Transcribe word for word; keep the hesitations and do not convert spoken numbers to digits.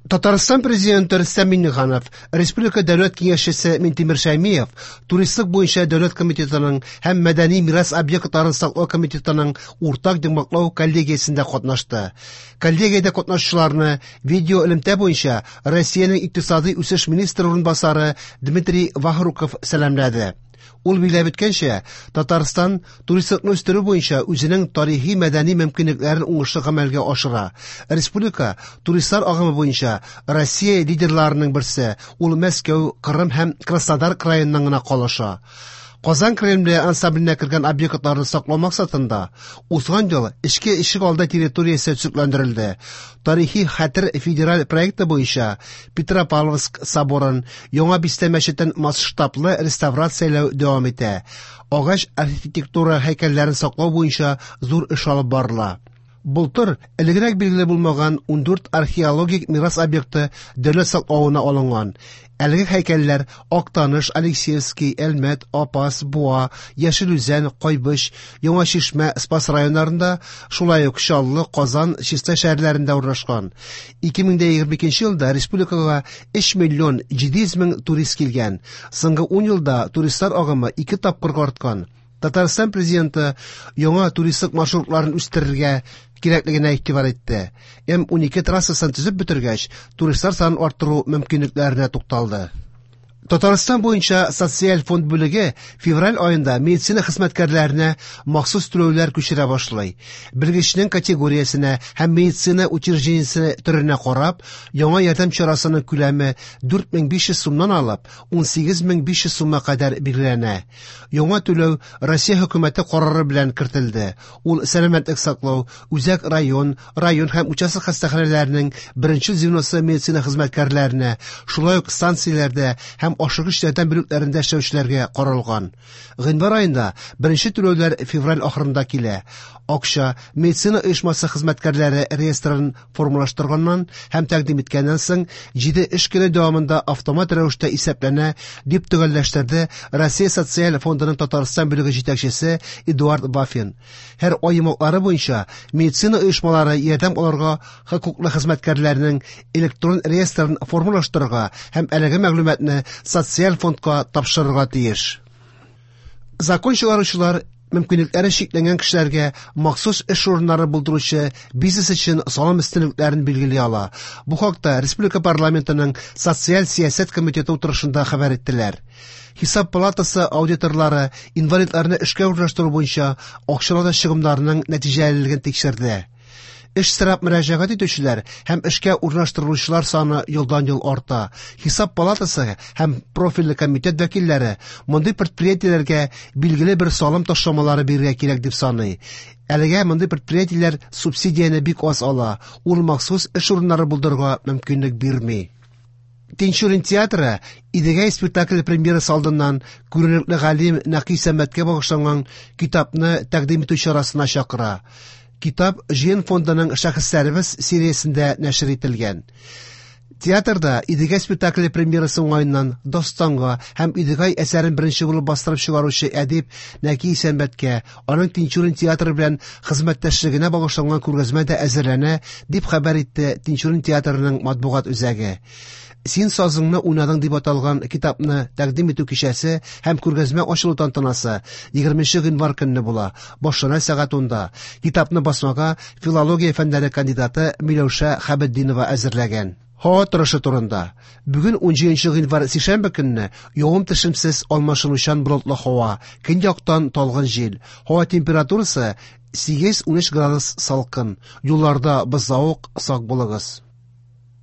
Татарстан президенты Рөстәм Миңнеханов, Республика Дәүләт Киңәшчесе Минтимер Шәймиев Туристлык буенча дәүләт комитетының һәм Мәдәни мирас объектларын саклау комитетының уртак йомгаклау коллегиясендә катнашты. Коллегиядә катнашучыларны видео элемтә буенча Россиянең икътисадый үсеш министры урынбасары Дмитрий Вахруков сәламләде. Ул билгеләп үткәнчә, Татарстан туристлыкны үстерү буенча үзенең тарихи-мәдәни мөмкинлекләрен уңышлы гамәлгә ашыра. Республика туристлар агымы буенча Россия лидерларының берсе, ул Мәскәү, Кырым һәм Краснодар краеннан гына калыша. Казан Кремле ансамбленә кергән объектларны саклау максатында узган ел эчке ишегалды территориясе төзекләндерелде. Тарихи хәтер федераль проекты буенча Петропавловск соборын, Яңа бистә мәчетен масштаблы реставрацияләү дәвам итә. Агач архитектура һәйкәлләрен саклау буенча зур эш алып барыла. Былтыр элегрәк билгеле булмаган ундүрт археологик мирас объекты дәүләт саклавына алынган. Әлеге һәйкәлләр Актаныш, Алексеевский, Әлмәт, Апас, Буа, Яшел Үзән, Кайбыч, Яңа Чишмә, Спас районнарында, шулай ук Чаллы, Казан, Чистай шәһәрләрендә урнашкан. ике мең дә егерме икенче елда республикага өч миллион җиде йөз мең турист килгән. Соңгы ун елда туристлар агымы ике тапкырга арткан. Татарстан президенты яңа туристлык маршрутларын үстерергә кирәклегенә игътибар итте. М унике трассасын төзеп бетергәч, туристлар санын арттыру мөмкинлекләренә тукталды. Татарстан буенча социаль фонд бүлеге февраль аенда медицина хезмәткәрләренә махсус түләүләр күчерә башлый. Белгечнең категориясенә һәм медицина учреждениесе төренә карап, яңа ярдәм чарасының күләме дүрт мең биш йөз сумнан алып ун сигез мең биш йөз сумга кадәр билгеләнә. Яңа түләү Россия хөкүмәте карары белән кертелде. Ул сәламәтлек саклау, үзәк район, район һәм участок хастаханәләренең беренче звеносы медицина хезмәткәрләренә, шулай ук станцияләрдә һәм ашыгыч ярдәм бүлекләрендә эшләүчеләргә каралган. Гыйнвар аенда беренче түләүләр февраль ахырында килә. Акча медицина оешмасы хезмәткәрләре реестрын формалаштырганнан һәм тәкъдим иткәннән соң җиде эш көне дәвамында автомат рәвештә исәпләнә, дип төгәлләштерде Россия социаль фондының Татарстан бүлеге җитәкчесе Эдуард Вафин. Һәр ай йомгаклары буенча медицина оешмалары ярдәм алырга хокуклы хезмәткәрләрнең электрон реестрын формалаштырырга һәм әлеге мәгълүматны социаль фондка тапшырырга тиеш. Закон чыгаручылар мөмкинлекләре чикләнгән кешеләргә махсус эш урыннары булдыручы бизнес өчен салым өстенлекләрен билгели ала. Бу хакта Республика парламентының социаль сәясәт комитеты утырышында хәбәр иттеләр. Хисап палатасы аудиторлары инвалидларны эшкә урнаштыру буенча акчалата чыгымнарының нәтиҗәлелеген тикшерде. Эш сорап мөрәҗәгать итүчеләр һәм эшкә урнаштырылучылар саны елдан-ел арта. Хисап палатасы һәм профильле комитет вәкилләре мондый предприятиеләргә билгеле бер салым ташламалары бирергә кирәк дип саный. Әлегә мондый предприятиеләр субсидияне бик аз ала, ул махсус эш урыннары булдырырга мөмкинлек бирми. Тинчурин театры Идегәй спектакле премьерасы алдыннан күренекле галим Нәкый Исәнбәткә багышланган китапны тәкъдим итү чарасына чакыра. Китап Җыен фондының Шәхесләребез сериясендә нәшер ителгән. Театрда Идегәй спектакле премьерасы уңаеннан Дастанга һәм Идегәй әсәрен беренче булып бастырып чыгаручы әдип Нәкый Исәнбәткә, аның Тинчурин театры белән хезмәттәшлегенә багышланган күргәзмә дә әзерләнә, дип хәбәр итте Тинчурин театрының матбугат үзәге. Син сазыңны уйнадың дип аталган китапны тәкъдим итү кичәсе һәм күргәзмә ачылу тантанасы егерменче гыйнвар көнне була. Башлана сәгать унда. Китапны басмага филология фәннәре кандидаты Миләүшә Хәбетдинова әзерләгән. Һава торышы турында. Бүген унҗиденче гыйнвар сишәмбе көнне явым төшемсез алмашынучан болытлы һава, көньяктан талгын җил. Һава температурасы сигез-унөч градус салкын. Юлларда бозлавык, сак булыгыз.